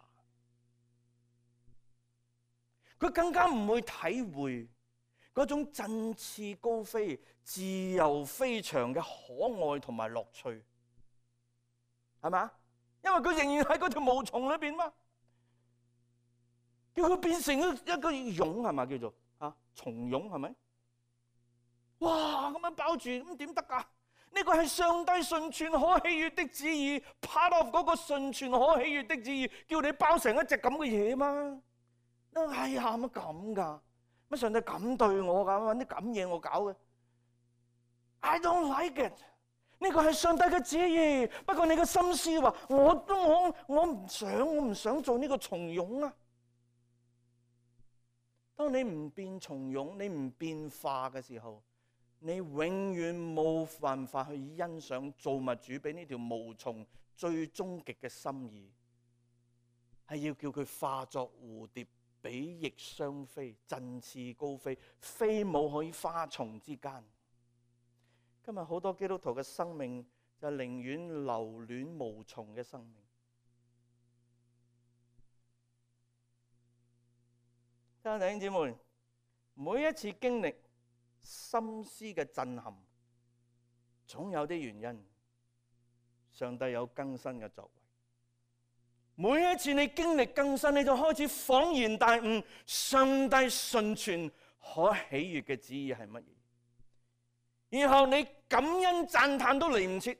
佢更加唔會體會嗰種振翅高飛、自由飛翔嘅可愛同埋樂趣，係咪？因為佢仍然喺嗰條毛蟲裏邊嘛。叫佢變成一一個蛹係咪叫做啊蟲蛹係咪？哇！咁樣包住咁點得㗎？呢個係上帝純全可喜悅的旨意 ，part of 嗰個純全可喜悅的旨意，叫你包成一隻咁嘅嘢嘛？哎呀乜咁㗎？乜上帝咁對我㗎？揾啲咁嘢我搞嘅 ？I don't like it。呢個係上帝嘅旨意，不過你嘅心思話我都我我唔想我唔想做呢個蟲蛹啊！當你唔變蟲蛹，你唔變化嘅時候，你永遠冇辦法去欣賞造物主俾呢條毛蟲最終極嘅心意，係要叫佢化作蝴蝶，比翼雙飛，振翅高飛，飛舞喺花叢之間。今日好多基督徒嘅生命就寧願留戀毛蟲嘅生命。弟兄姊妹，每一次經歷心思嘅震撼，總有啲原因。上帝有更新嘅作為。每一次你經歷更新，你就開始恍然大悟，上帝純全可喜悅嘅旨意係乜嘢？然後你感恩讚嘆都嚟唔切，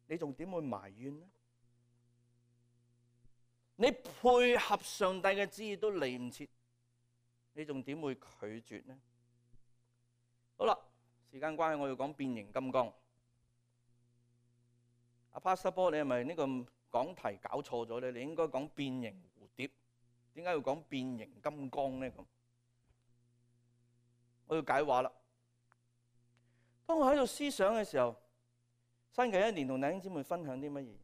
你仲點會埋怨呢？你配合上帝嘅旨意都嚟唔切，你仲點會拒絕呢？好啦，時間關係，我要講變形金剛。阿 Pastor Paul，你係咪呢個講題搞錯咗咧？你應該講變形蝴蝶，點解要講變形金剛咧？咁我要解話啦。當我喺度思想嘅時候，新嘅一年同弟兄姊妹分享啲乜嘢？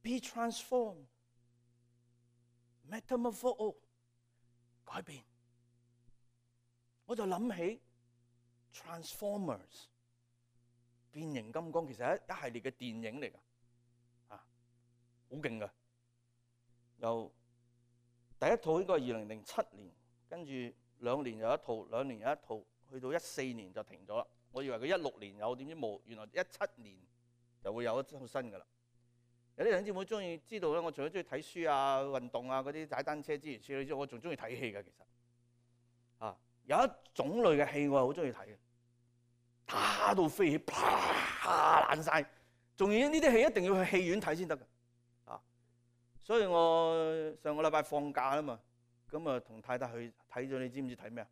Be transformed, metamorpho， 改變。我就諗起 Transformers， 變形金剛其實係一系列嘅電影嚟㗎，啊，好勁㗎。由第一套應該係二零零七年，跟住兩年有一套，兩年有一套，去到一四年就停咗啦。我以為佢一六年有，點知冇，原來一七年就會有一套新㗎啦。有啲弟兄姊妹中意知道咧，我除咗中意睇書啊、運動啊、嗰啲踩單車之餘，之外，我仲中意睇戲嘅。其實啊，有一種類嘅戲我係好中意睇嘅，打到飛起，啪爛晒，仲要呢啲戲一定要去戲院睇先得㗎啊！所以我上個禮拜放假啊嘛，咁啊同太太去睇咗，你知唔知睇咩啊？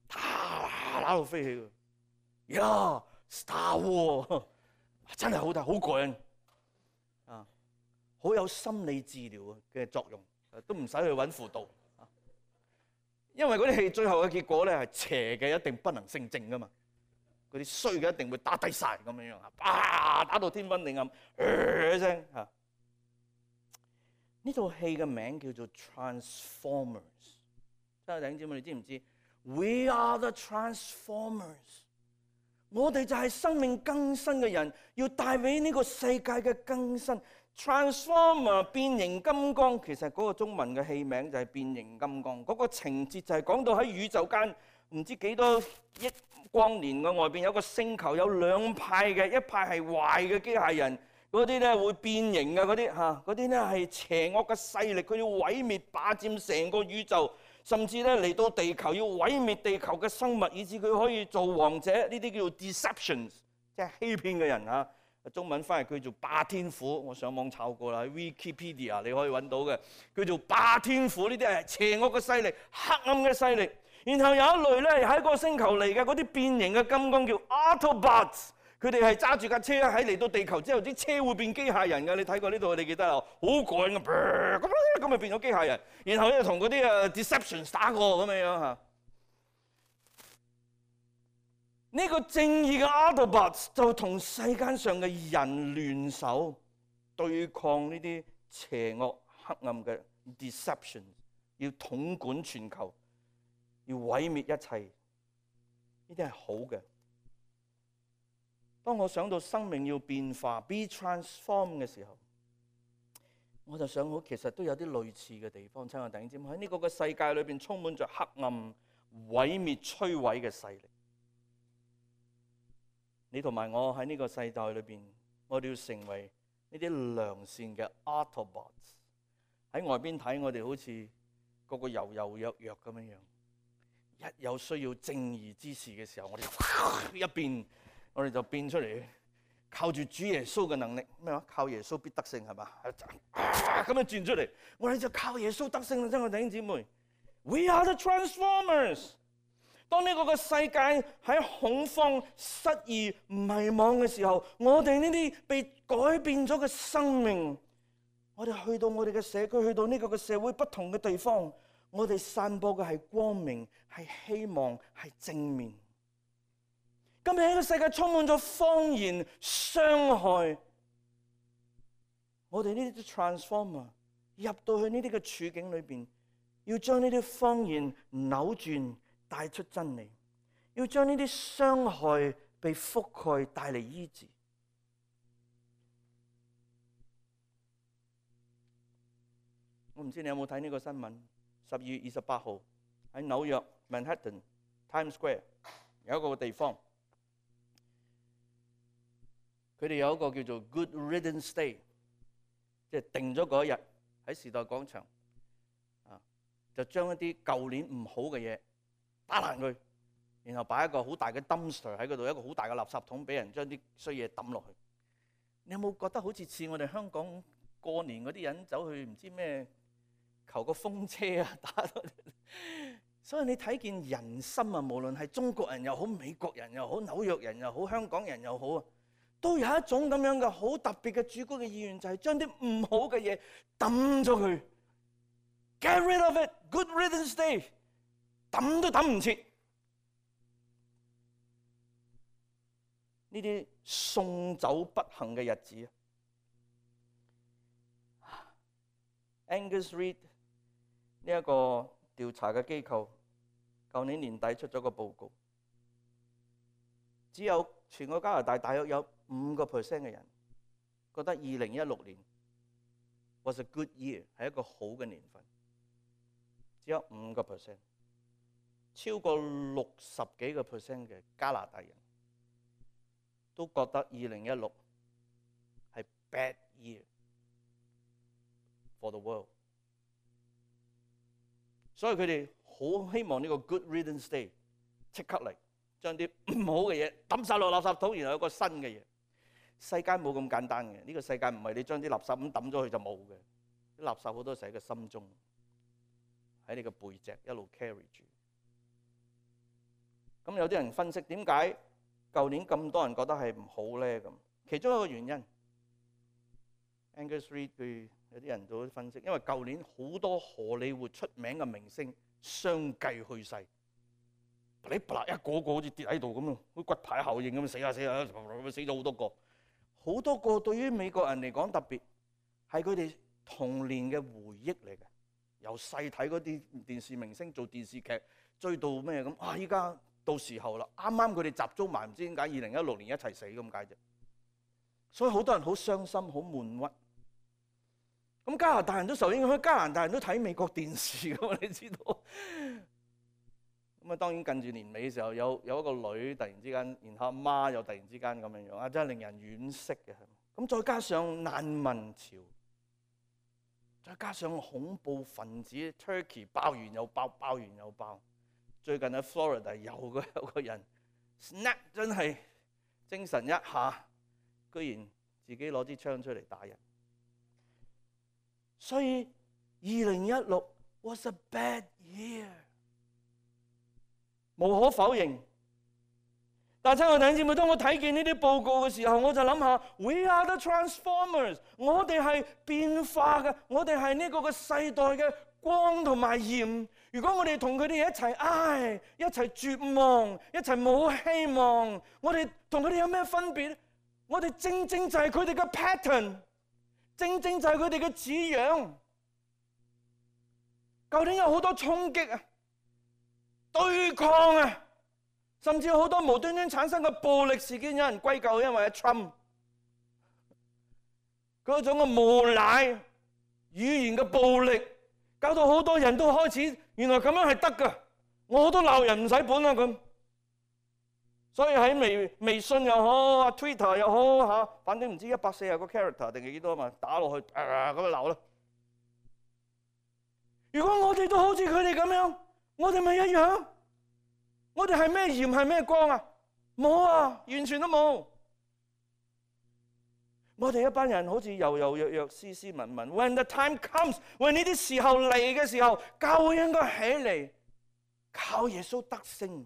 打打到飛起㗎，呀、yeah, Star Wars 真係好睇，好過癮。啊，好有心理治療嘅作用，都唔使去揾輔導，因為嗰啲戲最後嘅結果咧係邪嘅一定不能勝正噶嘛，嗰啲衰嘅一定會打低晒咁樣樣啊，打到天昏地暗，一聲嚇。呢套戲嘅名叫做 Transformers， 真係弟兄姊妹，你知唔知 ？We are the Transformers。我哋就係生命更新嘅人，要帶俾呢個世界嘅更新。Transformer 變形金剛，其實嗰個中文嘅戲名就係變形金剛。嗰個情節就係講到喺宇宙間唔知幾多億光年嘅外邊有個星球，有兩派嘅，一派係壞嘅機械人，嗰啲咧會變形嘅嗰啲嚇，嗰啲咧係邪惡嘅勢力，佢要毀滅霸佔成個宇宙。甚至咧嚟到地球要毀滅地球嘅生物，以致佢可以做王者。呢啲叫做 deceptions， 即係欺騙嘅人啊。中文翻譯叫做霸天虎，我上網抄過啦，喺 Wikipedia 你可以揾到嘅，叫做霸天虎。呢啲係邪惡嘅勢力、黑暗嘅勢力。然後有一類咧喺個星球嚟嘅嗰啲變形嘅金剛叫 Autobots， 佢哋係揸住架車喺嚟到地球之後，啲車會變機械人嘅。你睇過呢度，你記得啊？好過癮嘅，咁咁咪變咗機械人。然後咧同嗰啲誒 deceptions 打過咁樣樣嚇。呢個正義嘅 Autobots 就同世間上嘅人聯手對抗呢啲邪惡黑暗嘅 deception， 要統管全球，要毀滅一切。呢啲係好嘅。當我想到生命要變化 be transformed 嘅時候，我就想好其實都有啲類似嘅地方。親愛弟兄姊妹，喺呢個嘅世界裏邊充滿着黑暗、毀滅、摧毀嘅勢力。你同埋我喺呢個世代裏邊，我哋要成為呢啲良善嘅 Autobots。喺外邊睇，我哋好似個個柔柔弱弱咁樣樣。一有需要正義之事嘅時候，我哋一變，我哋就變出嚟，靠住主耶穌嘅能力。咩話？靠耶穌必得勝係嘛？咁樣轉出嚟，我哋就靠耶穌得勝啦！真係弟兄姊妹 ，We are the transformers。當呢個嘅世界喺恐慌、失意、迷惘嘅時候，我哋呢啲被改變咗嘅生命，我哋去到我哋嘅社區，去到呢個嘅社會不同嘅地方，我哋散播嘅係光明、係希望、係正面。今日呢個世界充滿咗謊言、傷害，我哋呢啲 transformer 入到去呢啲嘅處境裏邊，要將呢啲謊言扭轉，帶出真理，要將呢啲傷害被覆蓋，帶嚟醫治。我唔知你有冇睇呢個新聞？十二月二十八號喺紐約 Manhattan Times Square 有一個地方，佢哋有一個叫做 Good Riddance Day， 即係定咗嗰一日喺時代廣場啊，就將一啲舊年唔好嘅嘢打爛佢，然後擺一個好大嘅 dumpster 喺嗰度，一個好大嘅垃圾桶，俾人將啲衰嘢抌落去。你有冇覺得好似似我哋香港過年嗰啲人走去唔知咩求個風車啊，打到？所以你睇見人心啊，無論係中國人又好、美國人又好、紐約人又好、香港人又好啊，都有一種咁樣嘅好特別嘅主觀嘅意願，就係將啲唔好嘅嘢抌咗佢。Get rid of it, Good Riddance Day。抌都抌唔切，呢啲送走不幸嘅日子。Angus Reid 呢一個調查嘅機構，舊年年底出咗個報告，只有全個加拿大大約有五個 percent 嘅人覺得二零一六年 was a good year， 係一個好嘅年份，只有五個 percent。超過六十幾個 percent 嘅加拿大人都覺得二零一六係 bad year for the world， 所以佢哋好希望呢個 Good Riddance Day 即刻嚟，將啲唔好嘅嘢抌晒落垃圾桶，然後有個新嘅嘢。世界冇咁簡單嘅，呢個世界唔係你將啲垃圾咁抌咗去就冇嘅，啲垃圾好多時喺個心中，喺你個背脊一路 carry 住。咁有啲人分析點解舊年咁多人覺得係唔好咧？咁其中一個原因 ，Angus Reid 佢有啲人都分析，因為舊年好多荷里活出名嘅明星相繼去世，你啪一個個好似跌喺度咁樣，好似骨牌效應咁死下死下，死咗好多個，好多個對於美國人嚟講特別係佢哋童年嘅回憶嚟嘅，由細睇嗰啲電視明星做電視劇追到咩咁啊！依家到時候啦，啱啱佢哋集中埋，唔知點解二零一六年一齊死咁解啫。所以好多人好傷心、好悶鬱。咁加拿大人都受影響，加拿大人都睇美國電視噶嘛，你知道。咁啊，當然近住年尾嘅時候，有有一個女突然之間，然後阿媽又突然之間咁樣樣，啊真係令人惋惜嘅。咁再加上難民潮，再加上恐怖分子 Turkey 爆完又爆，爆完又爆。最近喺 Florida 有個有個人 snap 真係精神一下，居然自己攞支槍出嚟打人。所以二零一六 was a bad year， 無可否認。但係親愛弟兄姊妹，當我睇見呢啲報告嘅時候，我就諗下 We are the transformers， 我哋係變化嘅，我哋係呢個嘅世代嘅光同埋鹽。如果我哋同佢哋一齊唉，一齊絕望，一齊冇希望，我哋同佢哋有咩分別？我哋正正就係佢哋嘅 pattern， 正正就係佢哋嘅似樣。究竟有好多衝擊啊、對抗啊，甚至有好多無端端產生嘅暴力事件，有人歸咎因為阿 Trump 嗰種嘅無賴語言嘅暴力，搞到好多人都開始原來咁樣係得㗎，我都鬧人唔使本啊咁。所以喺微微信又好、Twitter 又好嚇，反正唔知一百四十個 character 定係幾多嘛，打落去啊咁樣鬧啦。如果我哋都好似佢哋咁樣，我哋咪一樣？我哋係咩鹽係咩光啊？冇啊，完全都冇。我哋一班人好似柔柔弱弱、斯斯文文。When the time comes， when 呢啲時候嚟嘅時候，教會應該起嚟，靠耶穌得勝。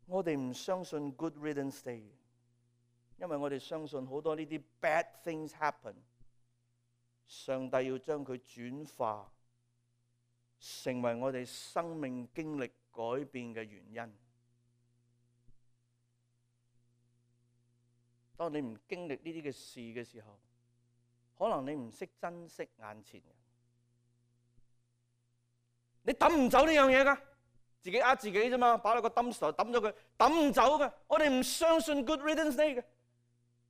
我哋唔相信 Good Riddance Day， 因為我哋相信好多呢啲 bad things happen。上帝要將佢轉化成為我哋生命經歷改變嘅原因。當你唔經歷呢啲嘅事嘅時候，可能你唔識珍惜眼前人，你抌唔走呢樣嘢㗎，自己呃自己啫嘛，擺落個 dumpster抌咗佢，抌唔走㗎。我哋唔相信 Good Riddance Day 嘅，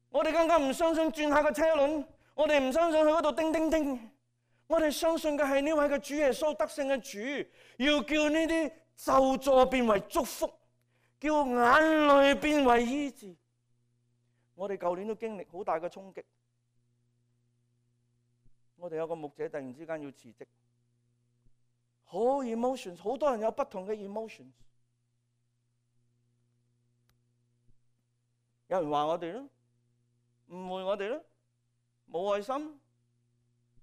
我哋更加唔相信轉下個車輪。我哋唔相信去嗰度叮叮叮，我哋相信嘅係呢位嘅主耶穌得勝嘅主，要叫呢啲咒詛變為祝福，叫眼淚變為醫治。我哋舊年都經歷好大嘅衝擊，我哋有個牧者突然之間要辭職，好 emotions， 好多人有不同嘅 emotions， 有人話我哋咯，誤會我哋咯。冇愛心，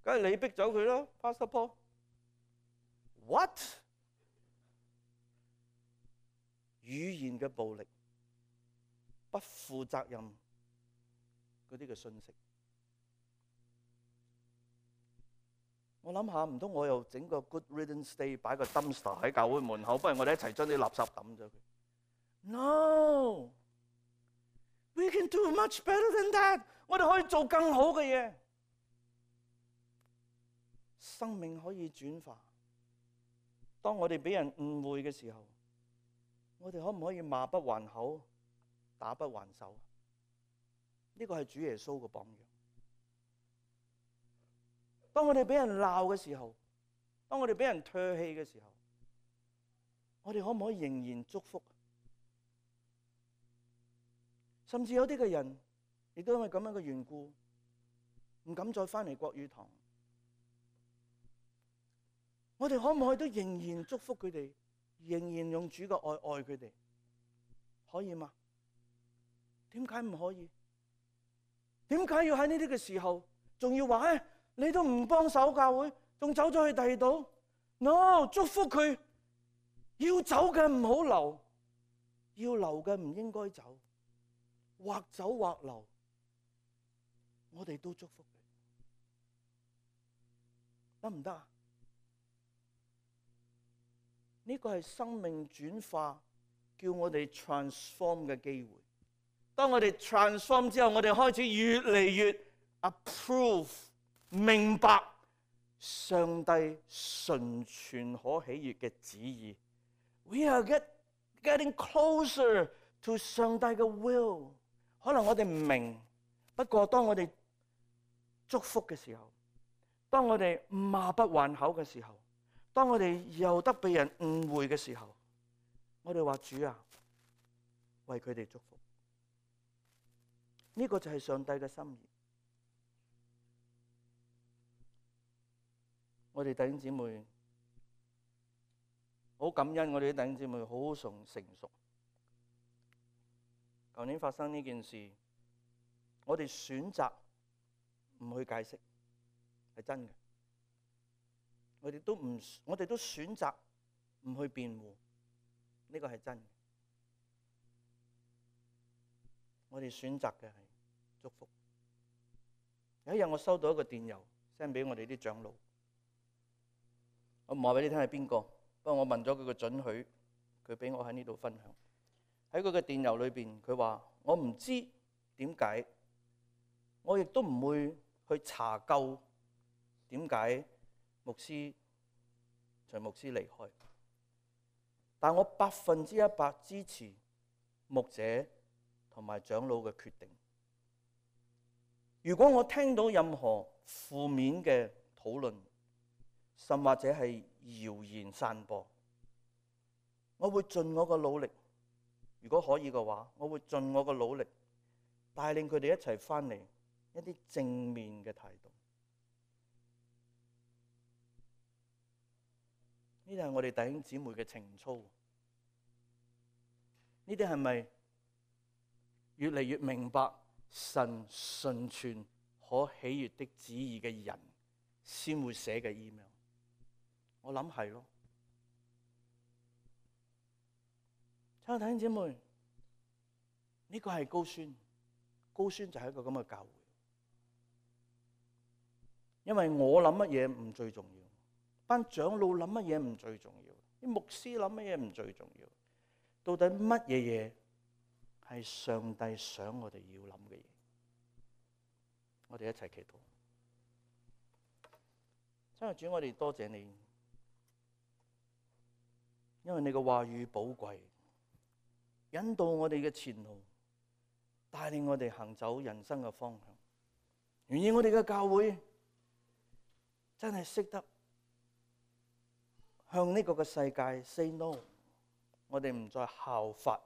梗係你逼走佢咯 Pastor Paul。What？ 語言嘅暴力，不負責任嗰啲嘅信息，我諗下，唔通我又整個 Good Riddance Day， 擺個 dumpster 喺教會門口，不如我哋一齊將啲垃圾抌咗佢。No，we can do much better than that。我哋可以做更好嘅嘢，生命可以轉化。當我哋俾人誤會嘅時候，我哋可唔可以罵不還口，打不還手？呢個係主耶穌嘅榜樣。當我哋俾人鬧嘅時候，當我哋俾人唾棄嘅時候，我哋可唔可以仍然祝福？甚至有啲嘅人亦都因為咁樣嘅緣故，唔敢再翻嚟國語堂。我哋可唔可以都仍然祝福佢哋，仍然用主嘅愛愛佢哋？可以嗎？點解唔可以？點解要喺呢啲嘅時候，仲要話誒，你都唔幫手教會，仲走咗去第二度 ？No， 祝福佢，要走嘅唔好留，要留嘅唔應該走，或走或留。我哋都祝福佢，得唔得啊？呢個係生命轉化，叫我哋 transform 嘅機會。當我哋 transform 之後，我哋開始越嚟越 approve 明白上帝純全可喜悅嘅旨意。We are get, getting closer to 上帝嘅 will。可能我哋唔明，不過當我哋祝福嘅時候，當我哋罵不還口嘅時候，當我哋又得被人誤會嘅時候，我哋話主啊，為佢哋祝福。呢個就係上帝嘅心意。我哋弟兄姊妹好感恩，我哋啲弟兄姊妹好成成熟。舊年發生呢件事，我哋選擇唔去解釋，係真嘅。我哋都唔，我哋都選擇唔去辯護，呢個係真嘅。我哋選擇嘅係祝福。有一日我收到一個電郵 send 俾我哋啲長老，我唔話俾你聽係邊個，不過我問咗佢個准許，佢俾我喺呢度分享。喺佢嘅電郵裏邊，佢話我唔知點解，我亦都唔會去查究點解牧師徐牧師離開，但我百分之一百支持牧者同埋長老嘅決定。如果我聽到任何負面嘅討論，甚或者係謠言散播，我會盡我嘅努力，如果可以嘅話，我會盡我嘅努力帶領佢哋一齊翻嚟一啲正面嘅態度。呢啲係我哋弟兄姊妹嘅情操。呢啲係咪越嚟越明白神純全可喜悅的旨意嘅人先會寫嘅 email？ 我諗係咯。親愛弟兄姊妹，呢個係高宣，高宣就係一個咁嘅教會。因為我諗乜嘢唔最重要，班長老諗乜嘢唔最重要，啲牧師諗乜嘢唔最重要，到底乜嘢嘢係上帝想我哋要諗嘅嘢？我哋一齊祈禱。親愛主，我哋多謝你，因為你嘅話語寶貴，引導我哋嘅前路，帶領我哋行走人生嘅方向。願意我哋嘅教會真係識得向呢個嘅世界 say no， 我哋唔再效法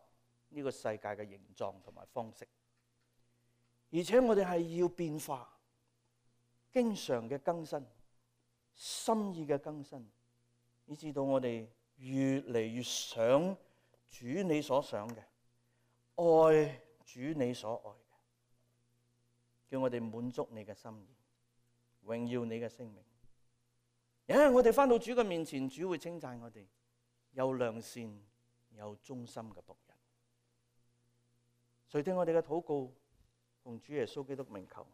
呢個世界嘅形狀同埋方式，而且我哋係要變化，經常嘅更新，心意嘅更新，以至到我哋越嚟越想主你所想嘅，愛主你所愛嘅，叫我哋滿足你嘅心意，榮耀你嘅聖名。有一日我哋翻到主嘅面前，主會稱讚我哋有良善有忠心嘅僕人。垂聽我哋嘅禱告，奉主耶穌基督名求。